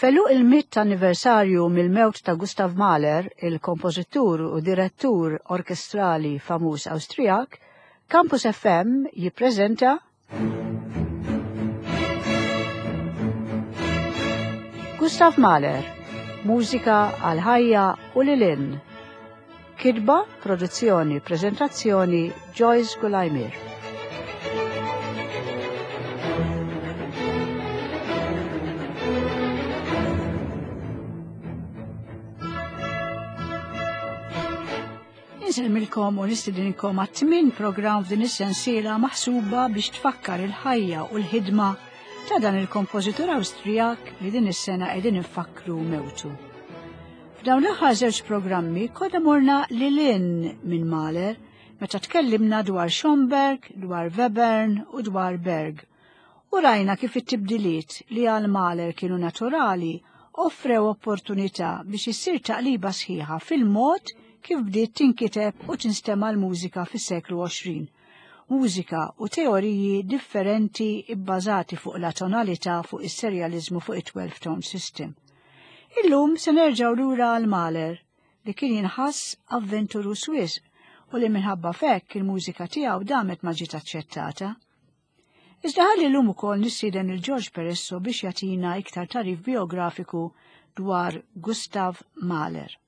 F'għeluq il-mitt anniversarju mill-mewt ta' Gustav Mahler, il-kompożitur u direttur orkestrali famuż Awstrijak, Campus FM jippreżenta Gustav Mahler, mużika għal ħajja u lil hinn. Kitba, produzzjoni, preżentazzjoni Joyce Gulajmir. Insellmilkom u nistidinkom għat-tmien programm f'din is-sensiela maħsuba biex tfakkar il-ħajja u l-ħidma ta' dan il-kompożitur Awstrijak li din is-sena qegħdin infakkru mewtu. F'dawn l-aħħar żewġ programmi konna morna lil hinn minn Mahler meta tkellimna dwar Schomberg, dwar Webern u dwar Berg. U rajna kif it-tibdiliet li għal Mahler kienu naturali offrew opportunità biex issir taqliba sħiħa fil-mod kif bdiet tinkiteb u tinstema' l-mużika fis-seklu 20. Mużika u teoriji differenti bbażati fuq la tonalità fuq is-serjaliżmu fuq it-12 tone system. Illum se nerġgħu lura għal Mahler li kien jinħass avventuruż wisq u li minħabba f'hekk il-mużika tiegħu damet ma ġiet aċċettata. Iżda ħalli llum ukoll nistieden lil George Peresso biex jagħtina iktar tagħrif biografiku dwar Gustav Mahler.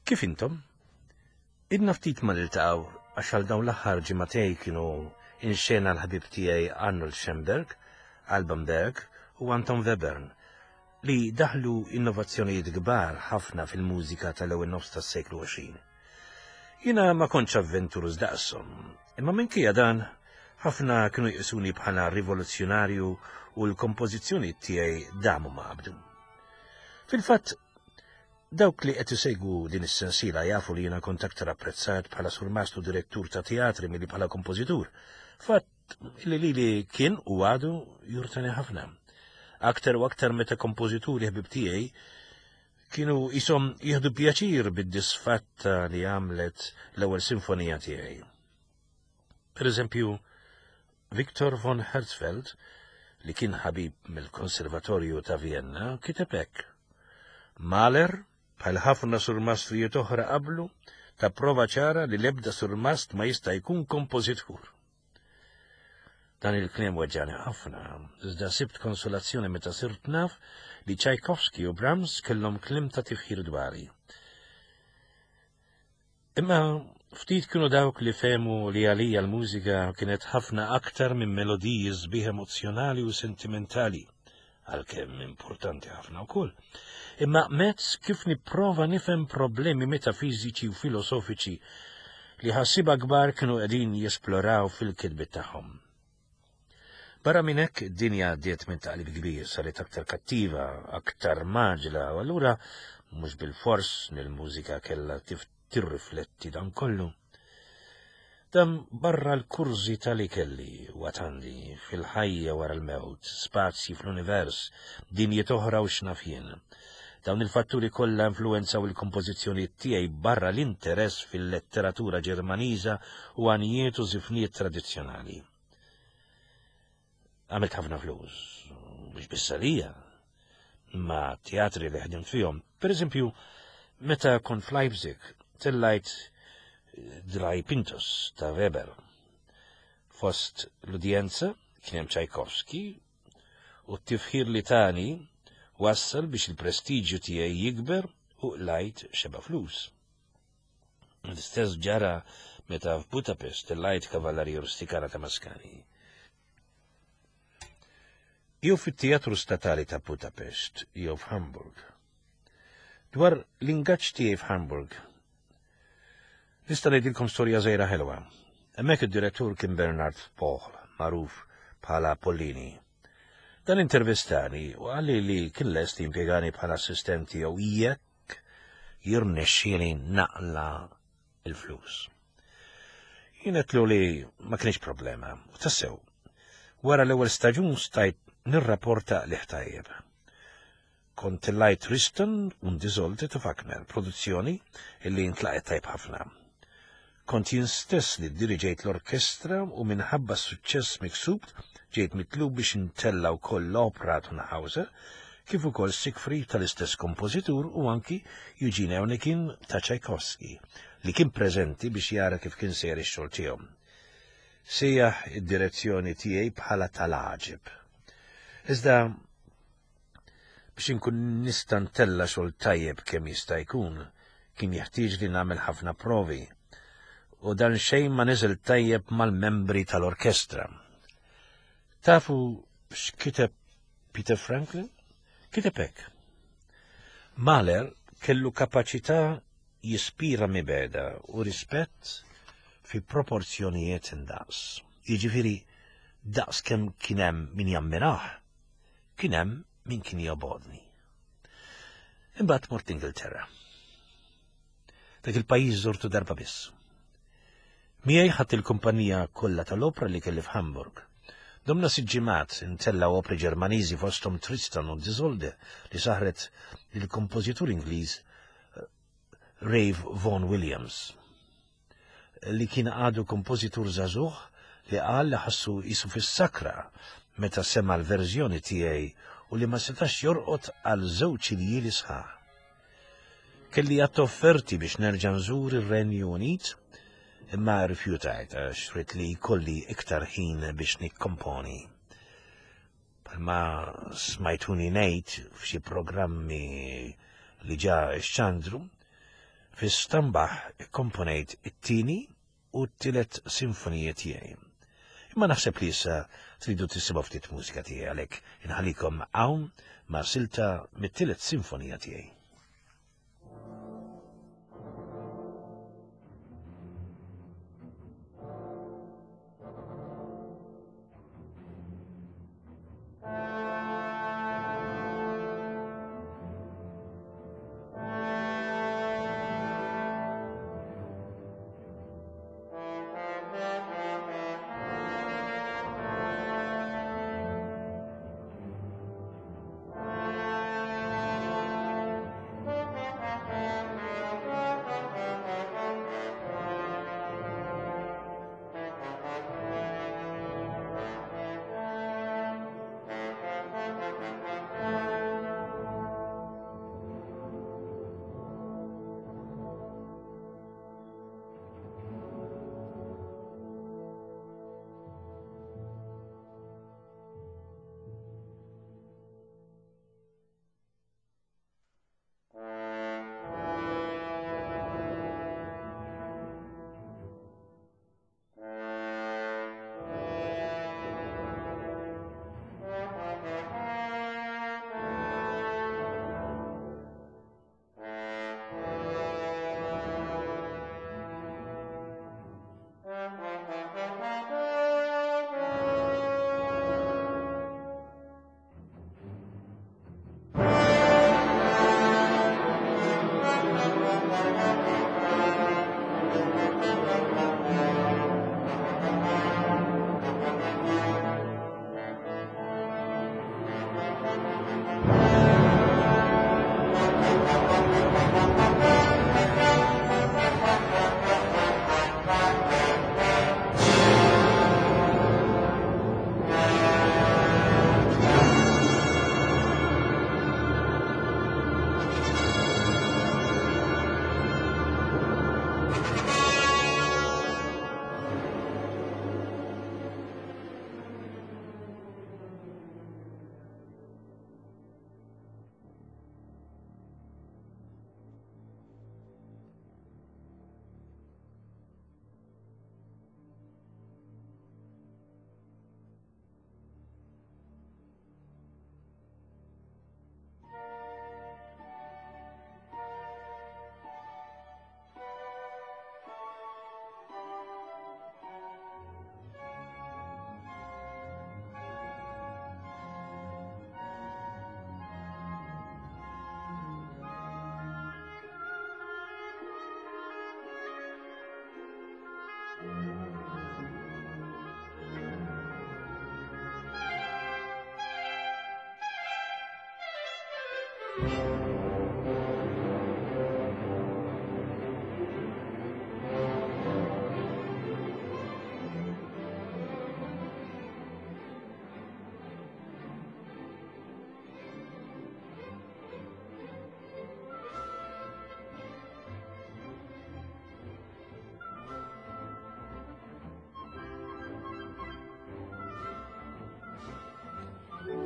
Kif intom? Idna ftit ma niltaqgħu għax għal dawn l-aħħar ġimagħtej kienu inxena l-ħabib tiegħi Arnold Schoenberg, Alban Berg u Anton Webern li daħlu innovazzjonijiet kbar ħafna fil-mużika tal-ewwel nofs tas-seklu 20. Jiena ma kontx avventuruż daqshom, imma minkejja dan ħafna kienu jqisuni bħala rivoluzzjonarju u l-kompożizzjonijiet tiegħi damu ma qabdu. Fil-fatt, Dawk li qed isegwu din is-sensiela jafu li jiena kont aktar apprezzat bħala surmast u direttur ta' teatri milli bħala kompożitur. Fatt li lili kien u għadu jurtani ħafna. Aktar u aktar meta kompożituri ħbib tiegħi kienu jisom jieħdu pjaċir bid-disfatta li għamlet l-ewwel sinfonija tiegħi. Per eżempju, Victor von Herzfeld, li kien ħabib mill-Konservatorju ta' Vienna, kiteb hekk. Mahler, bħal ħafna surmastrijiet oħra qablu, ta prova ċara li l-ebda surmast ma jista' jkun kompożitur. Dan il-kliem weġġani ħafna, iżda sibt konsolazzjoni meta sirt naf li Tchaikovsky u Brahms kellhom kliem ta' tifħir dwari. Imma ftit kienu dawk li fehmu li għalija l-mużika kienet ħafna aktar minn melodiji sbieħ emozzjonali u sentimentali, għalkemm importanti ħafna wkoll. Imma mezz kif nipprova nifhem problemi metafiżiċi u filosofiċi li ħassiba kbar kienu qegħdin jesploraw fil-kitbiet tagħhom. Barra minn hekk, id-dinja għaddiet minn taqlib kbir, saret aktar kattiva, aktar maġla, u allura mhux bilfors nil-mużika kellha tirrifletti dan kollu. Dan barra l-kurżità li kelli u għad għandi fil-ħajja wara l-mewt, spazji fl-univers, dinjiet oħra u x'naf jien. Dawn il-fatturi kollha influwenzaw il-kompożizzjonijiet tiegħi barra l-interess fil-letteratura Ġermaniża u għanjiet u żifniet tradizzjonali. Għamilt ħafna flus, mhux biss għalija, ma teatri li ħdimt fihom. Per eżempju, meta kont f'Leipzig, tellajt Drei Pintos ta' Weber. Fost l-udjenza kien hemm Tchaikovsky u t-tifħir li tani wassal biex il-prestiġju tiegħi jikber u qlajt xeba flus. L-istess ġara meta f'Budapest tellajt Kavalleria Rusticana ta' Mascagni. Jew fit-Teatru Statali ta' Budapest jew f'Hamburg. Dwar l-ingaġġ tiegħi f'Hamburg, nista' ngħidilkom storja żgħira ħelwa. Hemmhekk id-direttur kien Bernard Pohl, magħruf bħala Pollini. Dan intervistani u qalli li kien lest jimpjegani bħala assistent tiegħu jekk jirnexxieli naqla il-flus. Jien għedtlu li ma kienx problema, u tassew. Wara l-ewwel staġun stajt nirrapporta qligħ tajjeb. Kont tellajt Tristan und Isolde ta' Wagner, produzzjoni illi intlaqet tajb ħafna. Kont jien stess li ddiriġejt l-orkestra u minħabba s-suċċess miksub ġejt mitlub biex intella' wkoll l-opra Tannhauser kif ukoll Siegfried tal-istess kompożitur u anki Eugene Onegin ta' Tchaikovsky li kien preżenti biex jara kif kien sejjer ix-xogħol tiegħu. Sejjaħ id-direzzjoni tiegħi bħala tal-għaġeb. Iżda Biex inkun nista' ntella' xogħol tajjeb kemm jista' jkun, kien jeħtieġ li nagħmel ħafna provi. U dan xejn ma niżel tajjeb mal-membri tal-orkestra. Tafu x'kiteb Peter Franklin? Kiteb hekk. Mahler kellu kapaċità jispira mibegħda u rispett fi proporzjonijiet indaqs. Jiġifieri daqs kemm kien hemm min jammirah, Kien hemm min kien jobgħodni. Imbagħad mort Ingilterra. Dak il-pajjiż żurtu darba biss. Miegħi ħadd il-kumpanija kollha tal-opra li kelli f'Hamburg. Domna sitt ġimgħat intellgħu opri Ġermaniżi fosthom Tristan u Isolde li saħret lill-kompożitur Ingliż eh, Rave Vaughan Williams. li kien għadu kompożitur żagħżugħ li qal li ħassu qisu fis-sakra meta sema' l-verżjoni tiegħi u li ma setax jorqod għal żewġ iljieli sħaħ. Kelli għadd offerti biex nerġa' nżur ir-Renju Unit, imma rrifjutajt għax ridt li jkolli iktar ħin biex nikkomponi. Bħalma smajtuni ngħid f'xi programmi li ġa xxandru, Fi Stambach ikkomponejt it-tieni u t-tielet sinfonija tiegħi. Imma naħseb li issa tridu tisimgħu ftit mużika tiegħi għalhekk inħallikom hawn ma' silta mit-tielet sinfonija tiegħi.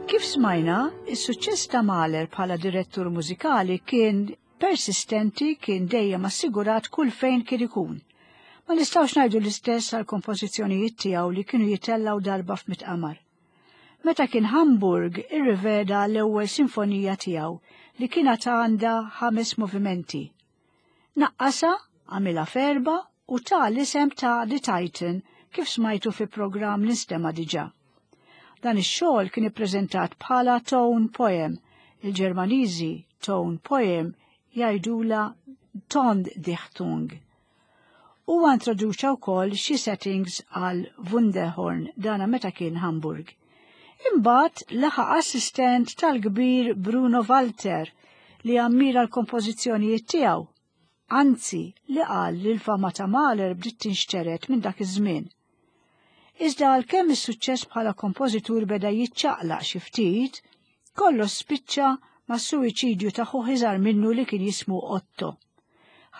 Kif smajna, is-suċċess ta' Mahler bħala direttur mużikali kien persistenti kien dejjem assigurat kull fejn kien ikun. Ma nistgħux ngħidu l-istess għal kompożizzjonijiet tiegħu li kienu jitellgħu darba f'mit qamar. Meta kien Hamburg irriveda l-ewwel sinfonija tiegħu li kienet għandha ħames movimenti. Naqqasha, għamilha f'erba' u ta l-isem ta' The Titan kif smajtu fi programm li nstema' diġà. Dan ix-xogħol kien ippreżentat bħala tone poem, il-Ġermaniżi tone poem jgħidulha Tondichtung. Huwa introduċa wkoll xi settings għal Wunderhorn dana meta kien Hamburg. Imbagħad laħaq assistent tal-kbir Bruno Walter li ammira l-kompożizzjonijiet tiegħu. Anzi, li qal li l-fama ta' Mahler bdiet tinxtered minn dak iż-żmien. Iżda għalkemm is-suċċess bħala kompożitur beda jiċċaqlaq xi ftit, kollox spiċċa mas-suwiċidju ta' ħuh iżgħar minnu li kien jismu Otto.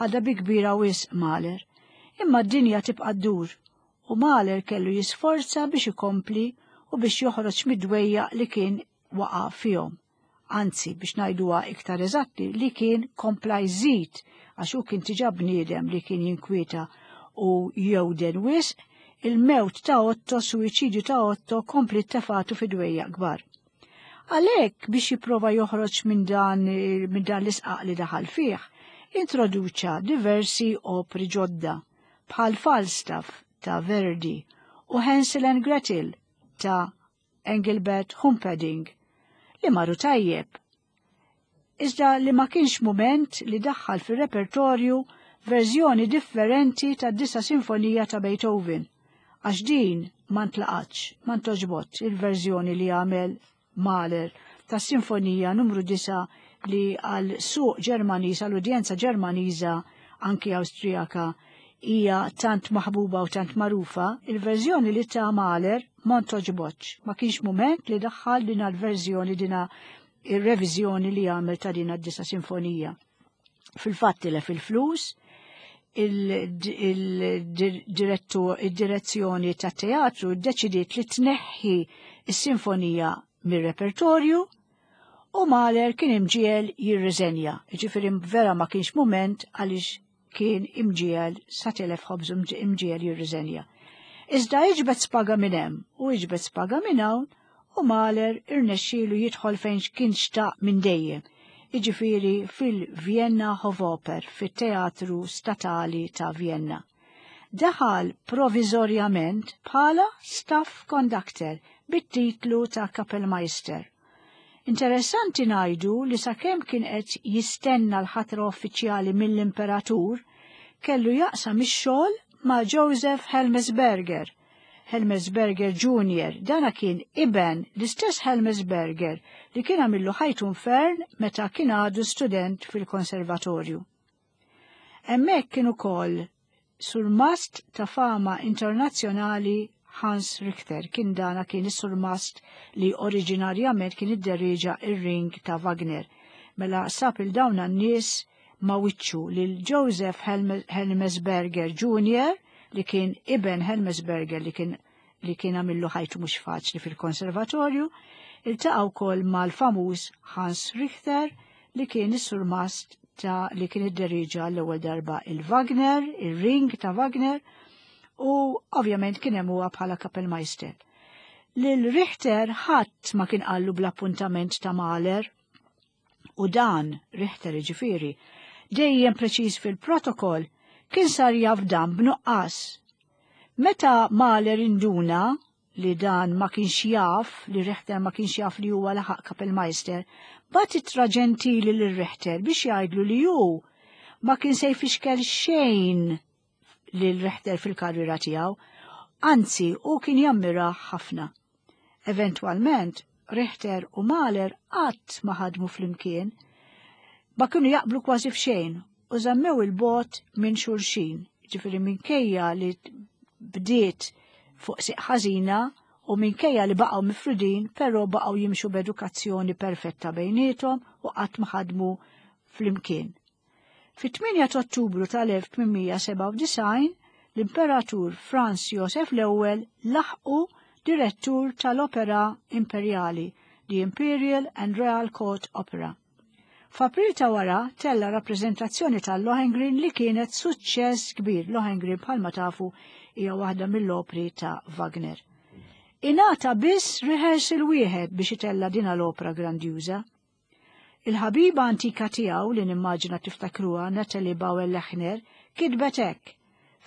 Ħadha bi kbira wisq Mahler. Imma d-dinja tibqa' ddur u Mahler kellu jisforza biex ikompli u biex joħroġ mid-dwejjaq li kien waqa' fihom. Anzi, biex ngħiduha iktar eżatti, li kien kompla jżid għax hu kien tiġa bniedem li kien jinkwieta u jewden wisq, il-mewt ta' Otto, suwiċidju ta' Otto kompli tefatu fi dwejja kbar. Għalhekk biex jipprova joħroġ minn dan minn dan l-isqaq li daħal fih, introduċa diversi opri ġodda bħal Falstaff ta' Verdi u Hansel and Gretel ta' Engelbert Humperdinck li marru tajjeb. Iżda li ma kienx mument li daħħal fir-repertorju verżjoni differenti tad-disa sinfonija ta' Beethoven, għax din ma ntlaqatx, ma ntoġbotx il-verżjoni li għamel Mahler tas-sinfonija numru 9 li għal suq Ġermaniż, għal udjenza Ġermaniża anki Awstrijaka hija tant maħbuba u tant magħrufa, il-verżjoni li ta' Mahler ma ntoġbotx. Ma kienx mument li daħħal din l-verżjoni dina ir-reviżjoni li għamel ta' din d-disa sinfonija. Fil-fatt tilef il-flus, il-direzzjoni ta' teatru ddeċidiet li tneħħi s-sinfonija mir-repertorju u Mahler kien imġiegħel jirriżenja. Ġifieri vera ma kienx mument għaliex kien imġiegħel sa telef ħobż imġiegħel jirriżenja. Iżda iġbed spaga minn hemm u iġbed spaga minn hawn u Mahler irnexxielu jidħol fejn kien xtaq minn dejjem, jiġifieri fil-Vienna Hofoper, fit-Teatru Statali ta' Vienna. Daħal proviżorjament bħala staff conductor bit-titlu ta' Kapellmeister. Interessanti ngħidu li sakemm kien qed jistenna l-ħatra uffiċjali mill-Imperatur, kellu jaqsam ix-xogħol ma' Joseph Helmesberger, Helmesberger Junior, dana kien iben l-istess Helmesberger li kien għamillu ħajtu infern meta kien għadu student fil-konservatorju. Hemmhekk kien ukoll surmast ta' fama internazzjonali Hans Richter, kien dana kien is-surmast li oriġinarjament kien idderieġa ir-ring ta' Wagner. Mela sab il dawn n-nies ma' wiċċu lil Joseph Helmesberger Jr. li kien iben Helmesberger li kien li kien għamillu ħajtu mhux faċli fil-konservatorju, iltaqa' wkoll mal-famuż Hans Richter li kien is-surmast ta' li kien idderiġa l-ewwel darba il-Wagner, il-ring ta' Wagner, u ovvjament kien hemm huwa bħala Kapellmeister. Lil Richter ħadd ma kien qallu bl-appuntament ta' Mahler U dan, Richter jiġifieri, dejjem preċiż fil-protokoll, kien sar jaf dan b'nuqqas. Meta Mahler induna li dan ma kienx jaf, li Richter ma kienx jaf li huwa laħaq Kapellmeister, bagħat ittra ġentili lil Richter biex jgħidlu li hu ma kien se jfixkel xejn lil Richter fil-karriera tiegħu, anzi hu kien jammirah ħafna. Eventwalment, Richter u Mahler qatt ma ħadmu flimkien, ma kienu jaqblu kważi f'xejn u żammew il-bogħod minn xulxin, ġifieri minkejja li bdiet fuq siq ħażina u minkejja li baqgħu mifrudin, però baqgħu jimxu b'edukazzjoni perfetta bejniethom u qatt ma ħadmu flimkien. Fit-8 ta' Ottubru tal-1897, l-Imperatur Franz Josef l-Ewwel laħqu direttur tal-Opera Imperjali, the Imperial and Royal Court Opera. F'April ta' wara tella rappreżentazzjoni tal-Lohengrin li kienet suċċess kbir. Lohengrin bħalma tafu hija waħda mill-opri ta' Wagner. Ingħata biss rehearsal wieħed biex itella din l-opra grandjuża. Il-ħabiba antika tiegħu li nimmaġina tiftakruha Natalie Bauer Lechner kitbet hekk,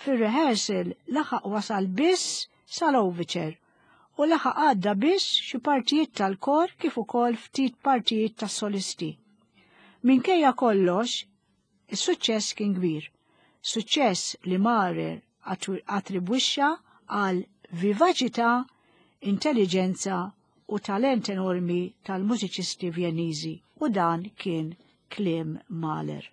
Fir-rehearsal laħaq wasal biss sal-overture u laħaq għadda biss xi partijiet tal-kor kif ukoll ftit partijiet tas-solisti. Minkejja kollox, Is-suċċess kien kbir. Suċċess li Mahler attribwixxa għal vivaċità, intelliġenza u talent enormi tal-mużiċisti Vjenniżi u dan kien kliem Mahler.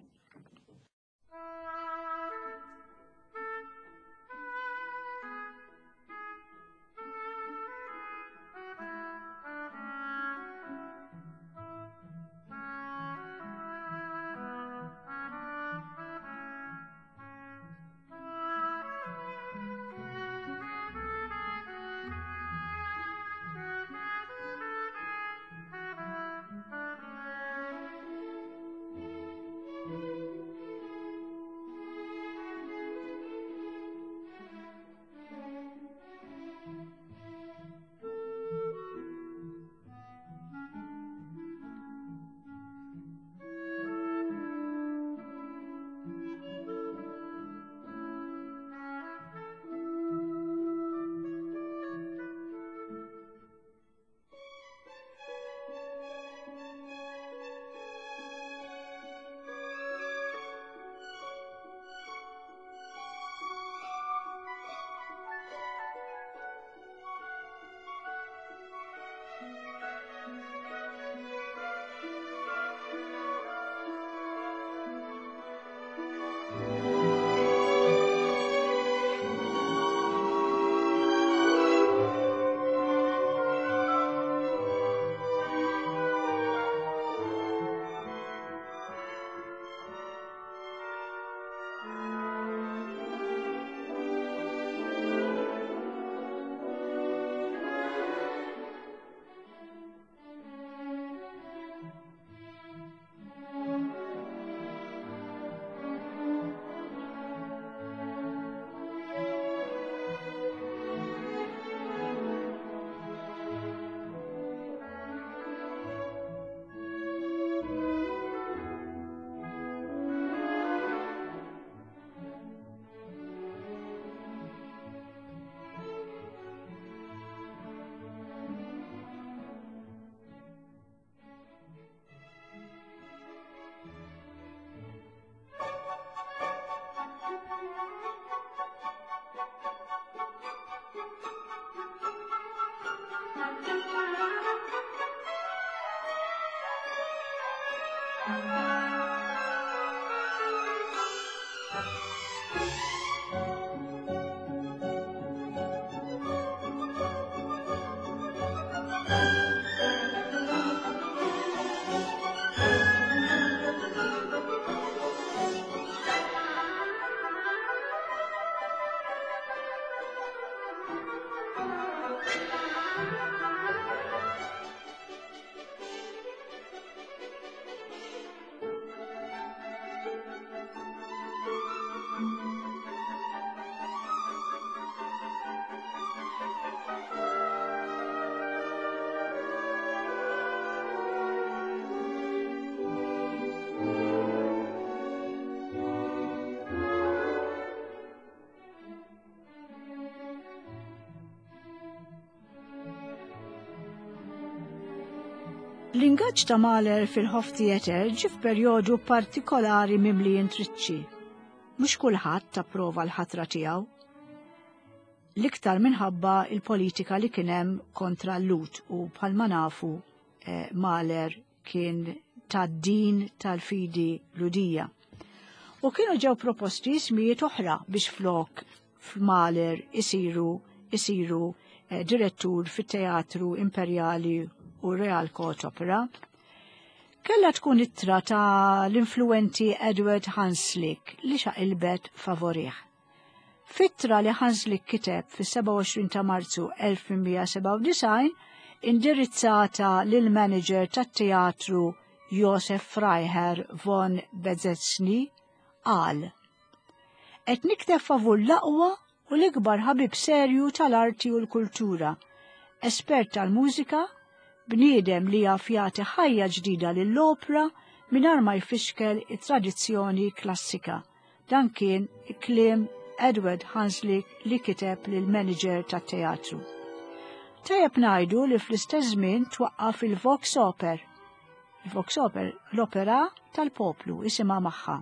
L-ingaġġ ta' Mahler fil-Hof Theatre ġie f'perjodu partikolari mimli intriċċi. Mhux kulħadd approva l-ħatra tiegħu. L-iktar minħabba il-politika li kien hemm kontra l-Lut u bħalma nafu eh, Mahler kien tad-din tal-fidi Lhudija. U kienu ġew proposti ismijiet oħra biex flok f'Mahler isiru isiru eh, direttur fit-Teatru Imperjali u Real Court Opera. Kella tkun ittra ta' l-influenti Edward Hanslick li xaqilbet favorih. F'ittra li Hanslick kiteb fis-27 ta' Marzu 1897, indirizzata lill-manager tat-teatru Josef Freiherr von Bezetzny, qal, Qed nikteb favur l-aqwa u l-ikbar ħabib serju tal-arti u l-kultura, espert tal-mużika, bniedem li jaf jagħti ħajja ġdida lill-opra mingħajr ma jfixkel it-tradizzjoni klassika. Dan kien kliem Edward Hanslick li kiteb lill-manager tat-teatru. Tajjeb ngħidu li fl-istess żmien twaqqaf il-Vox Oper. Il-Vox Oper, l-opera tal-poplu, isimha magħha.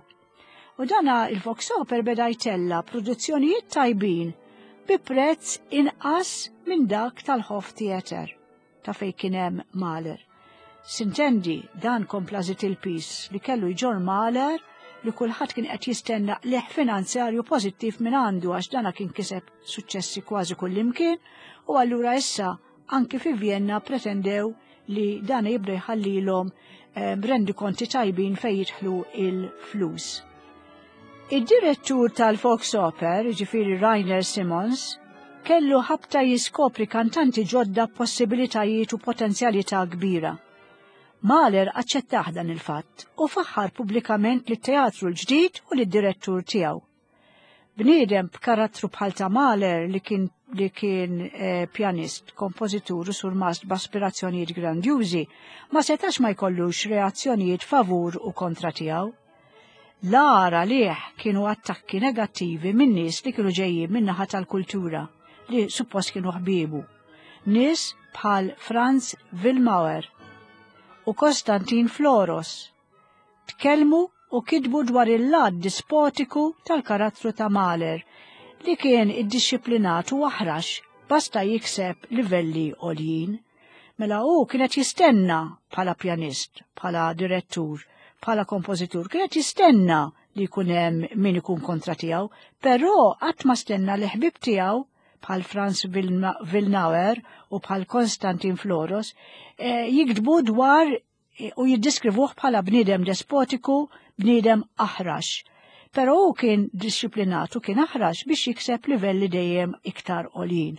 U dana il-Vox Oper beda jtella produzzjonijiet tajbin bi prezz inqas minn dak tal-Hof Theatre. ta' fejn kien hemm Mahler. Sintendi, dan kompla żied il-piż li kellu jġorr Mahler li kulħadd kien qed jistenna qligħ finanzjarju pożittiv minn għandu għax dana kien kiseb suċċessi kważi kullimkien u allura issa anki fi Vienna pretendew li dan jibda jħallilhom eh, rendikonti tajbin fejn jidħlu il-flus. Id-direttur tal-Fox Oper, ġifiri Rainer Simons, kellu ħabta jiskopri kantanti ġodda b'possibilitajiet u potenzjalità kbira. Mahler aċċettah dan il-fatt u faħħar pubblikament lit-teatru l-ġdid u lid-direttur tiegħu. Bniedem b'karattru bħal ta' Mahler li kien li kien eh, pjanist, kompożitur u surmast b'aspirazzjonijiet grandjużi, ma setax ma jkollux reazzjonijiet favur u kontra tiegħu. L-agħar għalih kienu attakki negattivi minn nies li kienu ġejjin min-naħa tal-kultura, li suppost kienu ħbiebu. Nies bħal Franz Wilmauer u Konstantin Floros tkellmu u kitbu dwar il-lat dispotiku tal-karattru ta' Mahler li kien iddixxiplinat u aħrax basta jikseb livelli għoljin. Mela hu kien qed jistenna bħala pjanist, bħala direttur, bħala kompożitur, kien qed jistenna li jkun hemm min ikun kontra tiegħu, però qatt ma stenna li ħbieb tiegħu bħal Franz Wilnauer u bħal Konstantin Floros eh, jiktbu dwar u jiddiskrivuh bħala bniedem despotiku, bniedem aħrax. Però hu kien dixxiplinat u kien aħrax biex jikseb livelli dejjem iktar għoljin.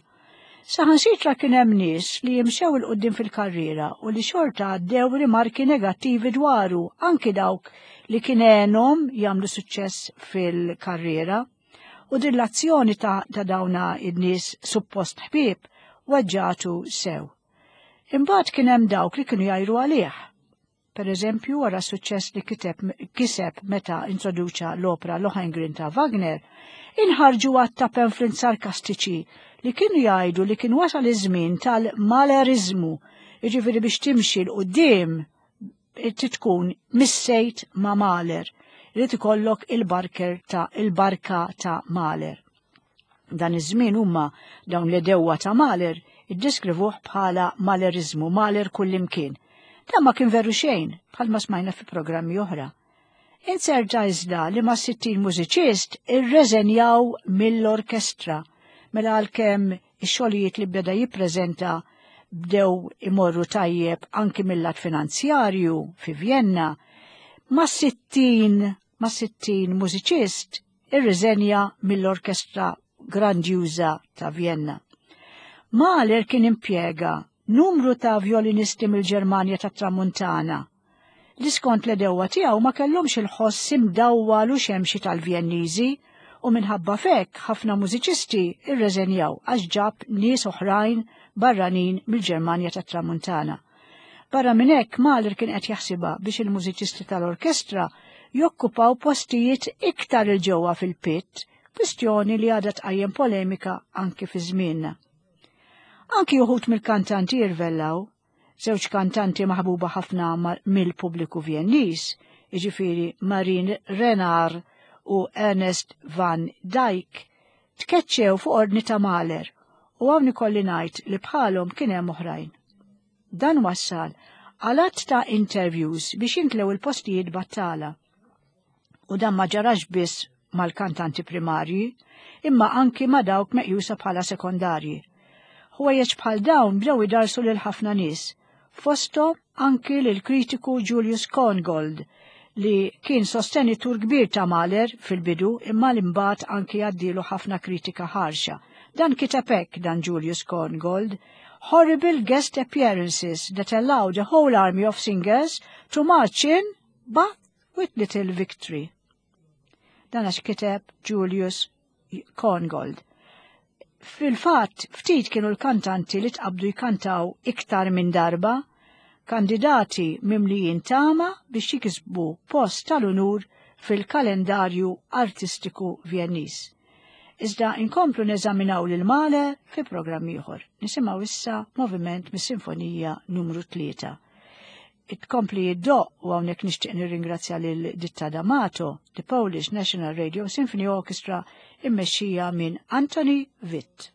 Saħansitra kien hemm nies li jimxew il quddiem fil-karriera u li xorta għaddew rimarki negattivi dwaru, anki dawk li kien għenhom jagħmlu suċċess fil-karriera. U din l-azzjoni ta', ta dawna in-nies suppost ħbieb weġġatu sew. Imbagħad kien hemm dawk li kienu jgħiru għalih. Per eżempju, wara suċċess li kiteb kiseb meta introduċa l-opra Lohengrin ta' Wagner, inħarġu għadd ta' pamphlets sarkastiċi li kienu jgħidu li kien wasal iż-żmien tal-maleriżmu, jiġifieri biex timxi 'l quddiem trid tkun missejt ma' Mahler, irid ikollok il-barker ta' il-barka ta' Mahler. Dan iż-żmien huma dawn l-edewwa ta' Mahler iddeskrivuh bħala Maleriżmu, Mahler kullimkien. Dan ma kien veru xejn, bħalma smajna fi programmi oħra. Inserta iżda li ma' 60 mużiċist irreżenjaw mill-orkestra mela għalkemm ix-xogħlijiet li beda jippreżenta bdew imorru tajjeb anki mill-lat finanzjarju fi Vjenna, ma' 60 ma' 60 mużiċist irriżenja mill-orkestra grandjuża ta' Vjenna. Mahler kien impjega numru ta' vjolinisti mill-Ġermanja tat-Tramuntana li skont l-edewwa tiegħu ma kellhomx il-ħoss imdawwal u xemxi tal-Vjenniżi u minħabba f'hekk ħafna mużiċisti rreżenjaw għax ġab nies oħrajn barranin mill-Ġermanja tat-Tramuntana. Barra minn hekk Mahler kien qed jaħsibha biex il-mużiċisti tal-orkestra jokkupaw postijiet iktar 'il ġewwa fil-pit, kwistjoni li għadha tqajjem polemika anki fi żmienna. Anki uħud mill-kantanti jirvellaw, żewġ kantanti maħbuba ħafna mill-pubbliku Vjenniż, jiġifieri Marine Renard u Ernest van Dyck, tkeċċew fuq ordni ta' Mahler u hawn ikolli ngħid li bħalhom kien hemm oħrajn. Dan wassal għal għadd ta' interviews biex jintlew il-postijiet battala. U dan ma ġarax biss mal-kantanti primarji, imma anki ma' dawk meqjusa bħala sekondarji. Ħwejjeġ bħal dawn bdew idarsu lil ħafna nies, fosthom anki lil kritiku Julius Korngold li kien sostenitur kbir ta' Mahler fil-bidu imma li mbagħad anki għaddielu ħafna kritika ħarxa. Dan kiteb hekk dan Julius Korngold, Horrible guest appearances that allowed a whole army of singers to march in but with little victory. Dan għax kiteb Julius Korngold. Fil-fatt, ftit kienu l-kantanti li tqabdu jkantaw iktar minn darba, kandidati mimlijin tama biex jikisbu post tal-unur fil-kalendarju artistiku Vjenniż. Iżda inkomplu neżaminaw lil Mahler fi programm ieħor. Nisimgħu issa moviment mis-Sinfonija numru 3. Tkompli iddoqq u hawnhekk nixtieq nirringrazzja lil Ditta D'Amato, The Polish National Radio Symphony Orchestra immexxija minn Anthony Witt.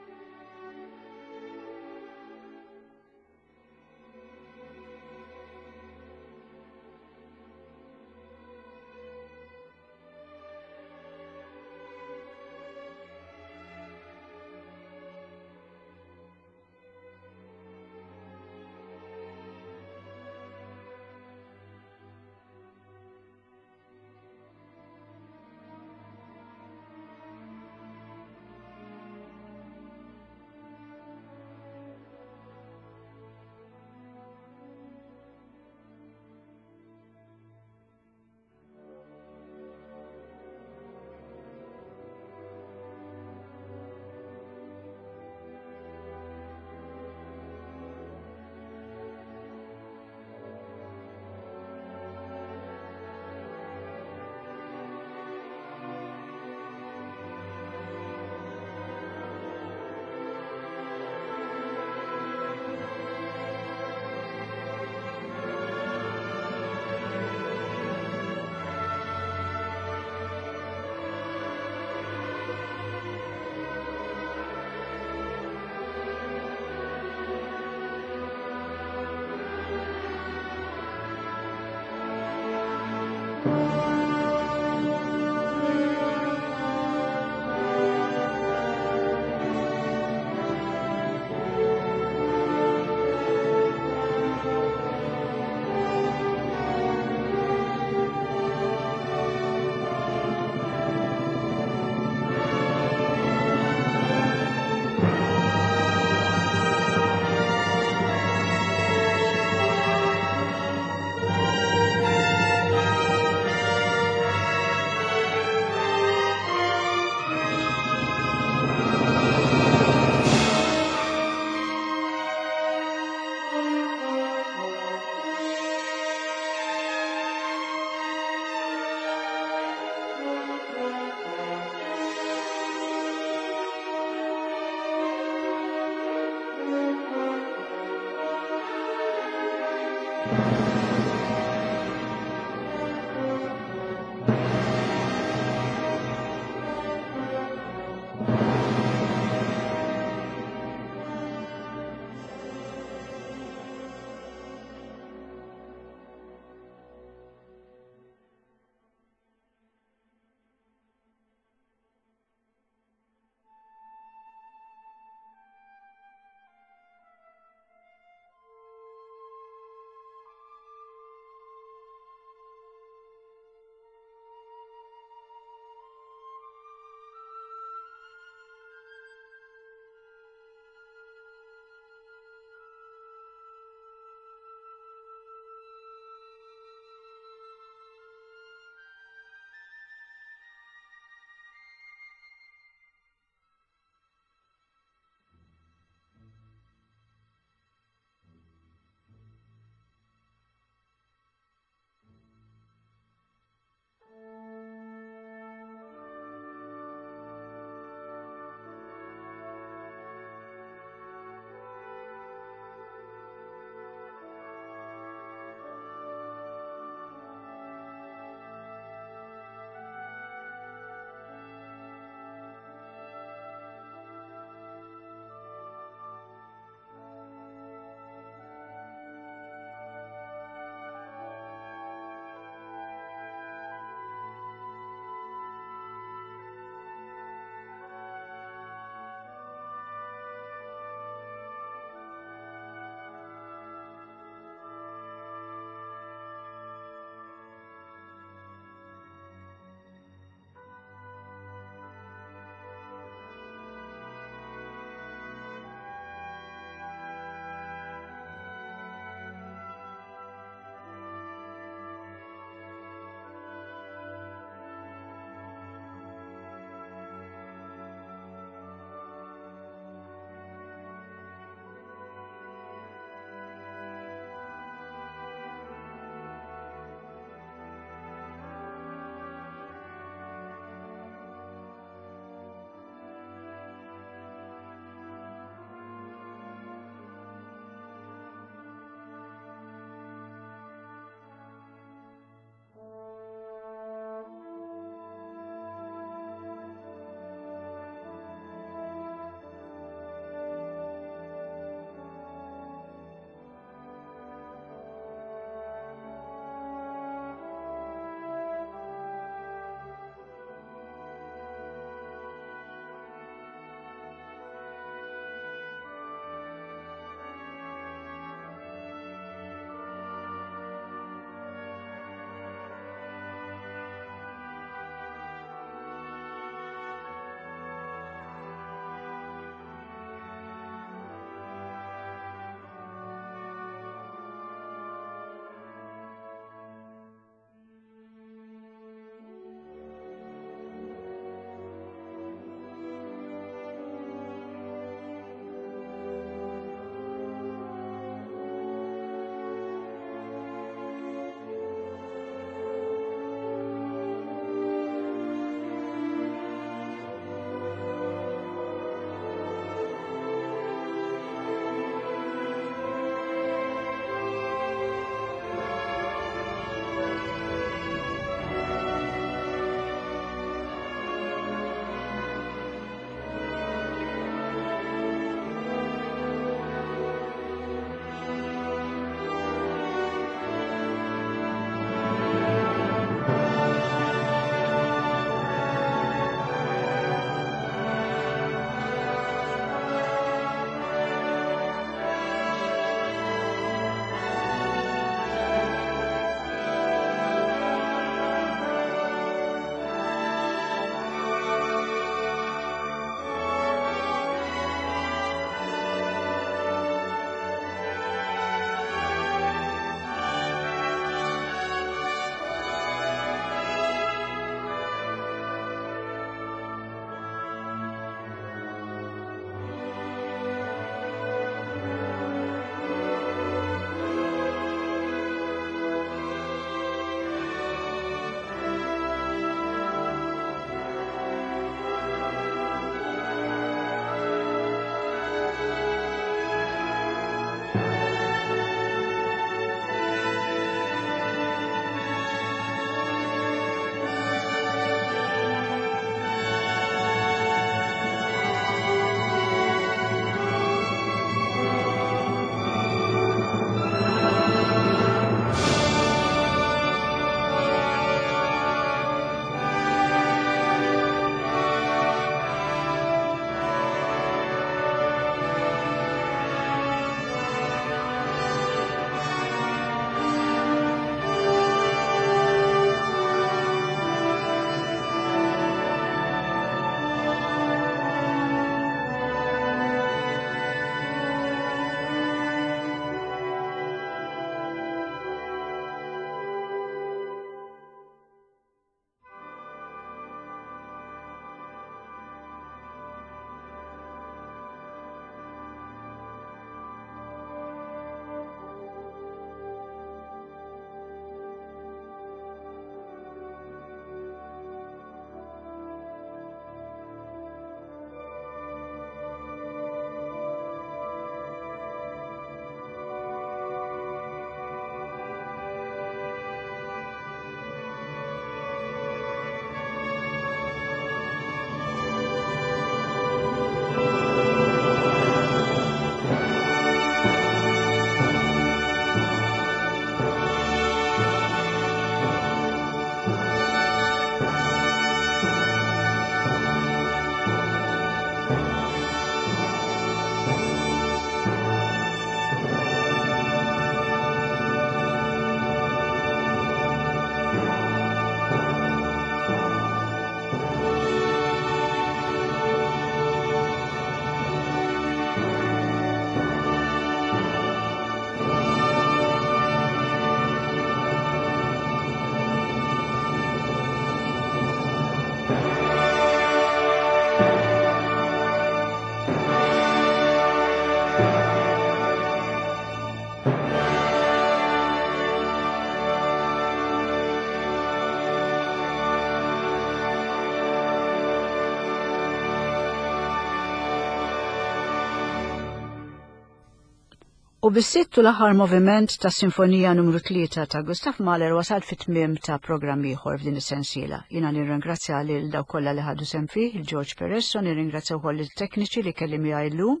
U bis-sitt u l-aħħar moviment ta' Sinfonija numru 3 ta' Gustav Mahler wasalt fit-tmiem ta' programm ieħor f'din is-sensiela. Jiena nirringrazzja lil dawk kollha li ħadu sehem fih, il George Peresso, nirringrazzja wkoll il-tekniċi li kelli miegħi llum,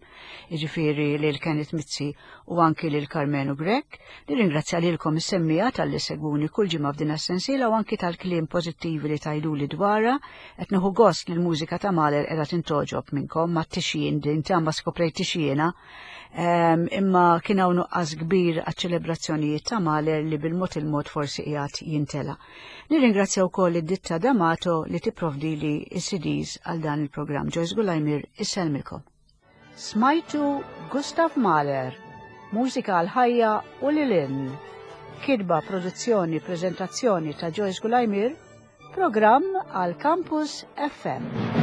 jiġifieri lil Kenneth Mizzi u anki lil Karmenu Grech. Nirringrazzja lilkom is-semmiegħa talli segwuni kull ġimgħa f'din is-sensiela u anki tal-kliem pożittivi li tgħiduli dwarha. Qed nieħu gost li l-mużika ta' Mahler qiegħda tintgħoġob minnkom ma' tixjien din ta' skoprejt tixjiena Imma kien hawn nuqqas kbir għaċ-ċelebrazzjonijiet ta' Mahler li bil-mod il-mod forsi qiegħed jintela. Nirringrazzja wkoll id-ditta D'Amato li tipprovdili s-CDs għal dan il-programm. Joyce Gulajmir isellmilkom. Smajtu Gustav Mahler, mużika għal ħajja u lil hinn. Kitba, produzzjoni, preżentazzjoni ta' Joyce Gulajmir, programm għal Campus FM.